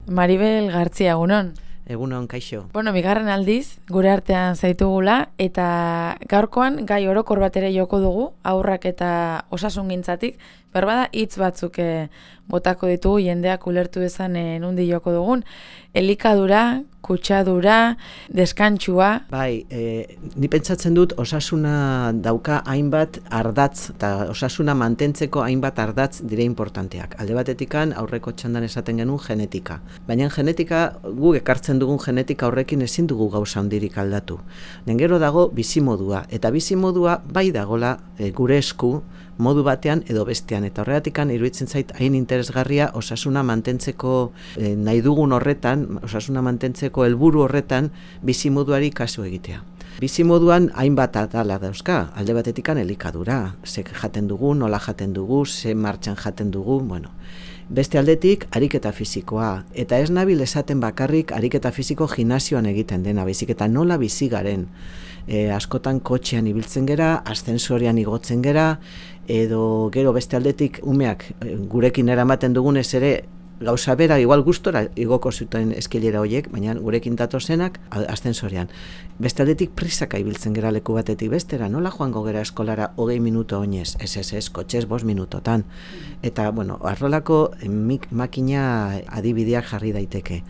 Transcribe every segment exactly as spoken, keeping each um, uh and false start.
Maribel Gartzia, egunon. Egunon, kaixo. Bueno, bigarren aldiz, gure artean zaitugula, eta gaurkoan gai orokor bat ere joko dugu, haurrak eta osasungintzatik, berbada hitz batzuk e, botako ditugu jendeak ulertu dezan e, nundi joko dugun, elikadura, kutsadura, deskantsua. Bai, e, ni pentsatzen dut osasuna dauka hainbat ardatz, eta osasuna mantentzeko hainbat ardatz dire importanteak. Alde batetikan aurreko txandan esaten genuen genetika. Baina genetika, guk ekartzen dugun genetika horrekin ezin dugu gauza handirik aldatu. Gero dago bizimodua, eta bizimodua bai dagola e, gure esku, modu batean edo bestean, eta horretikan iruditzen zait hain interesgarria osasuna mantentzeko e, nahi dugun horretan, osasuna mantentzeko helburu horretan bizimoduari kasu egitea. Bizimoduan hainbat atala dauzka, alde batetikan elikadura, ze jaten dugu, nola jaten dugu, ze martxan jaten dugu, bueno. Beste aldetik, ariketa fisikoa, eta ez nabil esaten bakarrik ariketa fisiko gimnasioan egiten dena, baizik eta nola bizi garen. E, askotan kotxean ibiltzen gera, aszensorian igotzen gera, edo gero beste aldetik umeak e, gurekin eramaten dugunez ere gauza bera, igual gustora igoko zuten eskilera horiek, baina gurekin datozenak aszensorian. Beste aldetik prisaka ibiltzen gera leku batetik bestera, nola joango gera eskolara hogei minuto oinez, ez ez ez, kotxez bost minutotan. Eta, bueno, arrolako mik, makina adibideak jarri daiteke.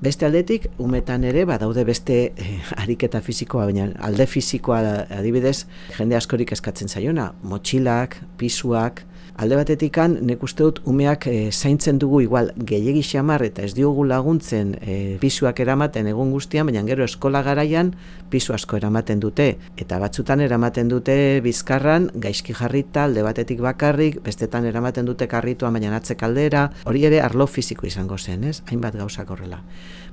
Beste aldetik, umetan ere, badaude beste eh, ariketa fisikoa, baina alde fisikoa adibidez, jende askorik eskatzen zaiona, motxilak, pisuak, alde batetikan, nek uste dut, umeak e, zaintzen dugu igual gehiegi xamar eta ez diogu laguntzen e, pisuak eramaten egun guztian, baina gero eskola garaian pisu asko eramaten dute. Eta batzutan eramaten dute bizkarran, gaizki jarrita, alde batetik bakarrik, bestetan eramaten dute karrituan, baina atzek aldera, hori ere arlo fisiko izango zen, ez? Hainbat gauzak horrela.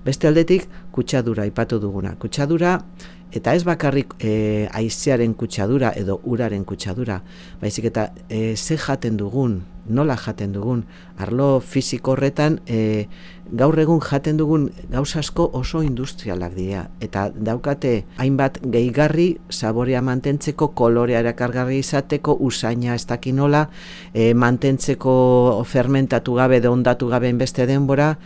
Beste aldetik, kutsadura aipatu duguna. Kutsadura, eta ez bakarrik e, haizearen kutsadura edo uraren kutsadura, baizik eta e, ze jaten dugun, nola jaten dugun, arlo fisiko horretan e, gaur egun jaten dugun gauza asko oso industrialak dira, eta daukate hainbat gehigarri saborea mantentzeko, kolorea erakargarri izateko, usaina ez daki nola, e, mantentzeko fermentatu gabe, ondatu gabe beste denbora,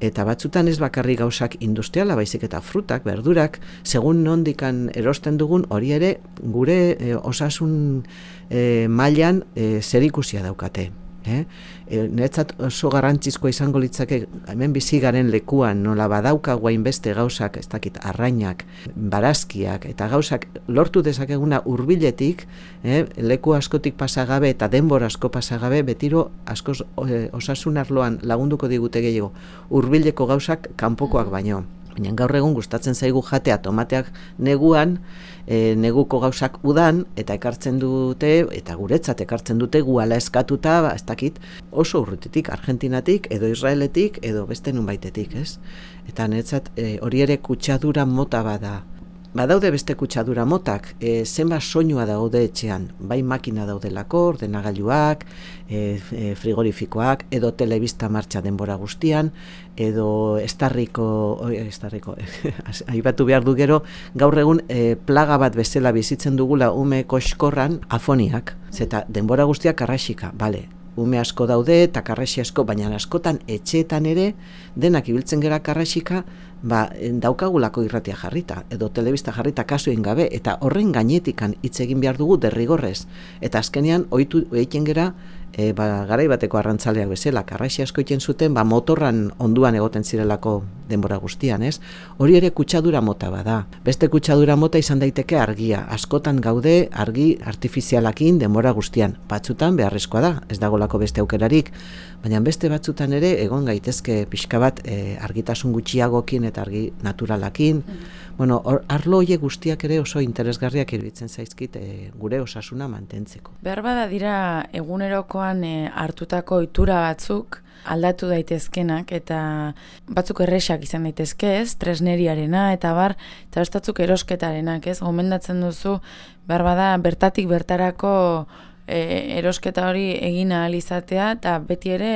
eta batzutan ez bakarrik gauzak industriala, baizik eta frutak, berdurak, segun nondikan erosten dugun, hori ere gure e, osasun e, mailan e, zerikusia daukate. Eh? E, Niretzat oso garrantzizkoa izango litzake hemen bizi garen lekuan nola badaukagu hainbeste gauzak, ez dakit, arrainak, barazkiak eta gauzak lortu dezakeguna hurbiletik, eh? leku askotik pasagabe eta denbora asko pasagabe, betiro askoz e, osasun arloan lagunduko digute gehiago hurbileko gauzak kanpokoak baino. Baina gaur egun gustatzen zaigu jatea tomateak neguan, e, neguko gauzak udan, eta ekartzen dute, eta guretzat ekartzen dute guala eskatuta, ba, ez dakit, oso urrutitik, Argentinatik, edo Israeletik, edo beste nunbaitetik, ez? Eta niretzat e, hori ere kutsadura mota bada. Badaude beste kutsadura motak, e, zenba soinua daude etxean, bai makina daudelako, ordenagailuak, e, e, frigorifikoak, edo telebista martxa denbora guztian, edo estarriko, oi, estarriko, aipatu behar du gero, gaur egun e, plaga bat bezala bizitzen dugula ume koxkorran afoniak, zeta denbora guztiak karraxika, bale, ume asko daude eta karraxi asko, baina askotan etxeetan ere denak ibiltzen gera karraxika, ba, daukagulako irratia jarrita, edo telebista jarrita kasuen gabe, eta horren gainetikan hitz egin behar dugu derrigorrez. Eta azkenean, ohitu egiten gera, e, ba, garai bateko arrantzaleak bezala, karraxi asko egiten zuten, ba, motorran onduan egoten zirelako denbora guztian, ez? Hori ere kutsadura mota bada. Beste kutsadura mota izan daiteke argia. Askotan gaude argi artifizialakin denbora guztian. Batzutan beharrezkoa da, ez dagolako beste aukerarik, baina beste batzutan ere egon gaitezke pixka bat e, argitasun gutxiagokin eta argi naturalakin. Mm. Bueno, or, arlo horiek guztiak ere oso interesgarriak iruditzen zaizkit e, gure osasuna mantentzeko. Behar bada dira egunerokoan e, hartutako ohitura batzuk aldatu daitezkenak, eta batzuk erresak izan daitezke, ez, tresneriarena, eta bar, eta bestatzuk erosketarenak, ez, gomendatzen duzu, behar bada bertatik bertarako e, erosketa hori egin ahal izatea, eta beti ere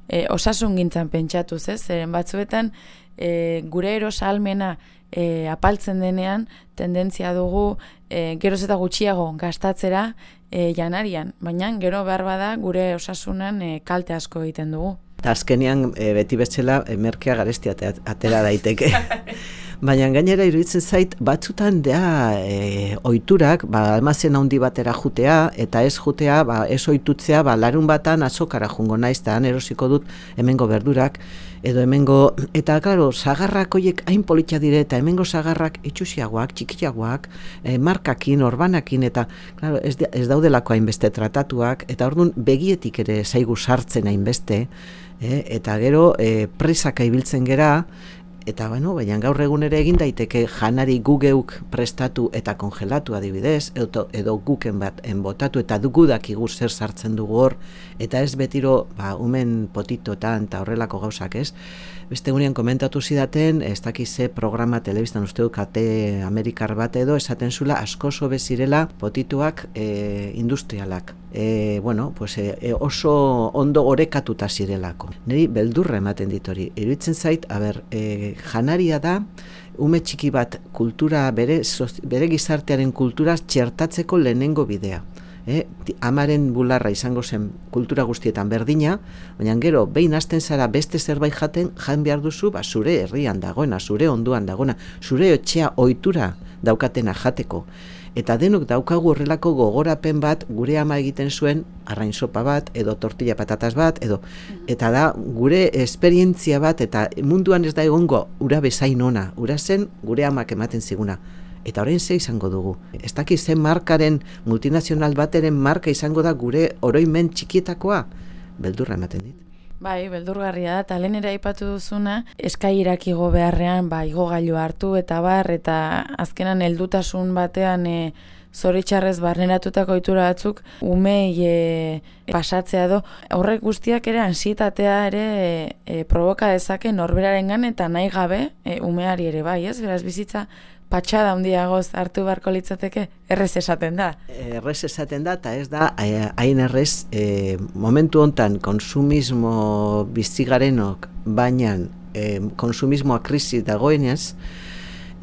e, osasun gintzan pentsatuz, ez? Zeren batzuetan e, gure erosalmena e, apaltzen denean, tendentzia dugu e, geroz eta gutxiago gastatzera e, janarian, baina gero behar bada gure osasunan e, kalte asko egiten dugu. Eta azkenean e, beti betxela e, merkea garestia atera daiteke. Baina gainera iruditzen zait, batzutan da e, oiturak, ba, almazen handi batera jutea, eta ez jutea, ba, ez oitutzea, ba, larun batan azokara jungo naiz, eta han erosiko dut hemengo berdurak, edo hemengo, eta claro, sagarrak horiek hain politia dire, eta hemengo sagarrak itxusiagoak, txikiagoak, e, markakin, orbanakin, eta claro, ez, ez daudelako hainbeste tratatuak, eta orduan begietik ere zaigu sartzen hainbeste, e, eta gero e, presaka ibiltzen gera, eta bueno, baina gaur egun ere egin daiteke janari gu geuk prestatu eta kongelatu adibidez, edo, edo guken bat enbotatu eta dugu dakigu zer sartzen dugu hor, eta ez betiro ba, umen potitotan eta horrelako gauzak ez. Beste gunean komentatu zidaten, ez dakize programa telebistan uste du kate amerikar bat edo, esaten zula asko sobe zirela potituak e, industrialak. E, bueno, pues, e, oso ondo orekatuta zirelako. Niri beldurra ematen dit hori. Iruditzen zait, a ber, e, janaria da, ume txiki bat kultura, bere, bere gizartearen kultura txertatzeko lehenengo bidea. Eh, amaren bularra izango zen kultura guztietan berdina, baina gero behin hasten zara beste zerbait jaten, jan behar duzu, ba, zure herrian dagoena, zure onduan dagoena, zure etxea ohitura daukatena jateko. Eta denok daukagu horrelako gogorapen bat gure ama egiten zuen arrain sopa bat, edo tortilla patatas bat, edo eta da gure esperientzia bat, eta munduan ez da egongo ura bezain ona, ura zen gure amak ematen ziguna. Eta orain ze izango dugu. Ez dakiz zen markaren, multinazional bateren marka izango da gure oroimen txikietakoa, beldurra ematen dit. Bai, beldurgarria da, eta lehen ere aipatu duzuna, eskairak igo beharrean, ba, igogailu hartu eta bar, eta azkenan heldutasun batean e, zoritxarrez barneratutako ohitura batzuk, umei e, pasatzea do. Horrek guztiak ere ansietatea ere e, e, provoka dezake norberarengan eta nahi gabe e, umeari ere bai, ez? Beraz bizitza patxada handiagoz hartu beharko litzateke, errez esaten da. Errez esaten da, eta ez da, hain errez, e, momentu hontan konsumismo bizigarenok, baina e, konsumismoa krisi dagoenez,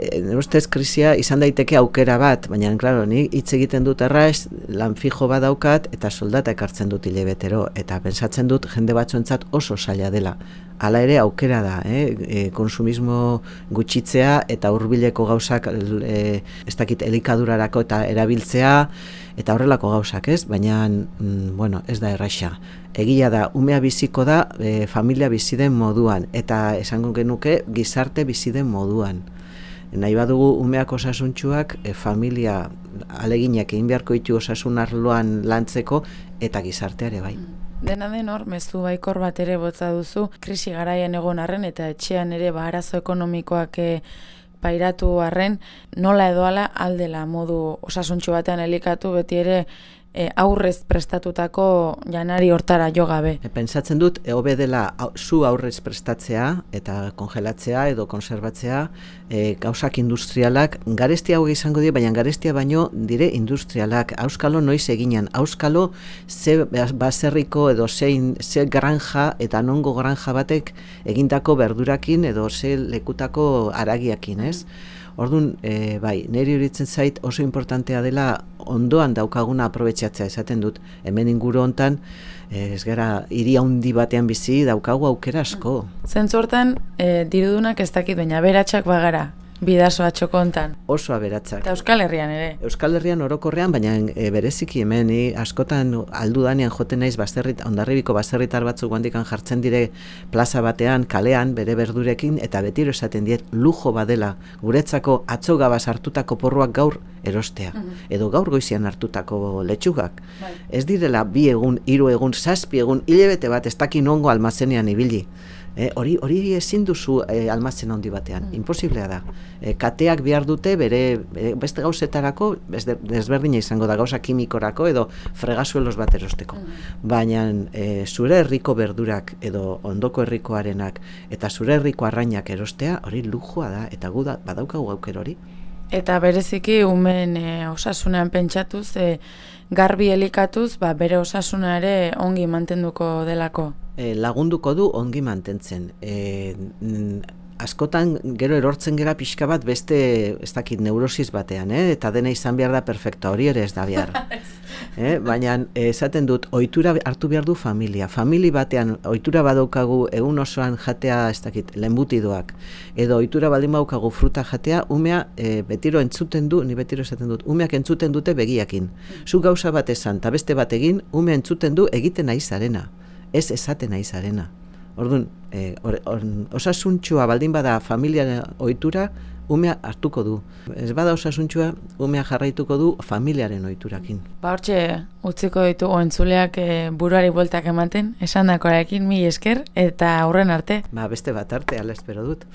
e, ustez krisia izan daiteke aukera bat, baina, klaro, ni hitz egiten dut erraz, lan fijo bat daukat, eta soldata ekartzen dut hilebetero, eta pensatzen dut jende batzuentzat oso zaila dela. Hala ere aukera da, eh? e, konsumismo gutxitzea eta hurbileko gauzak e, ez dakit elikadurarako eta erabiltzea eta horrelako gauzak, ez? Baina, mm, bueno, ez da erraxa. Egia da, umea biziko da e, familia biziden moduan eta esango genuke gizarte biziden moduan. Nahi badugu umeak osasuntxuak e, familia aleginak egin beharko ditu osasun arloan lantzeko eta gizarteare bai. Dena den hor, mezu baikor bat ere botza duzu, krisi garaian egon arren eta etxean ere ba, arazo ekonomikoak e, pairatu arren, nola edoala aldela modu osasuntxu batean elikatu beti ere e, aurrez prestatutako janari hortara jo gabe. E, pentsatzen dut, e, hobe dela zu aurrez prestatzea eta kongelatzea edo konserbatzea e, gauzak industrialak, garestia hau izango dira, baina garestia baino dire industrialak. Auskalo noiz eginan, auskalo ze baserriko edo zein, ze granja eta nongo granja batek egindako berdurakin edo ze lekutako aragiakin, ez? Orduan, e, bai, niri horitzen zait oso importantea dela ondoan daukaguna aprobetxatzea esaten dut. Hemen inguru hontan, ez gara, hiri handi batean bizi daukagu aukera asko. Zentzu hortan, e, dirudunak ez dakit, baina aberatsak bagara, bidasoa txokontan. Oso aberatsak. Eta Euskal Herrian ere. Euskal Herrian orokorrean, baina e, bereziki hemen, ni askotan aldu danean joten naiz baserrit, Hondarribiko baserritar batzuk guandikan jartzen dire plaza batean, kalean, bere berdurekin, eta betiro esaten diet lujo badela guretzako atzo gabaz hartutako porruak gaur erostea. Mm-hmm. Edo gaur goizian hartutako letxugak. Bai. Ez direla bi egun, hiru egun, zazpi egun, hilebete bat ez dakin ongo almazenean ibili. Eh, hori hori ezin duzu eh, almazen handi batean, mm. imposiblea da. Eh, kateak behar dute bere, bere beste gauzetarako, desberdina izango da gauza kimikorako edo fregasuelos bat erosteko. Mm. Baina eh, zure herriko berdurak edo ondoko herrikoarenak eta zure herriko arrainak erostea, hori lujoa da, eta gu da, badaukagu aukera hori. Eta bereziki umen e, osasunean pentsatuz, e, garbi elikatuz, ba, bere osasuna ere ongi mantenduko delako. E, lagunduko du ongi mantentzen. E, askotan gero erortzen gera pixka bat beste, ez dakit, neurosis batean, eh? Eta dena izan behar da perfecta, hori ere ez da behar. eh? Baina esaten dut, ohitura hartu behar du familia. Famili batean ohitura badaukagu egun osoan jatea, ez dakit, lehenbutidoak, edo ohitura baldin badaukagu fruta jatea, umea e, betiro entzuten du, ni betiro esaten dut, umeak entzuten dute begiakin. Zu gauza bat esan, eta beste bat egin, umea entzuten du egiten nahi zarena, ez esaten nahi zarena. Orduan, eh, or, or, osasuntxua baldin bada familia ohitura, umea hartuko du. Ez bada osasuntxua, umea jarraituko du familiaren ohiturakin. Ba hortxe, utziko ditugu entzuleak e, buruari bueltak ematen, esan dakoarekin mi esker, eta aurren arte. Ba beste bat arte, ala espero dut.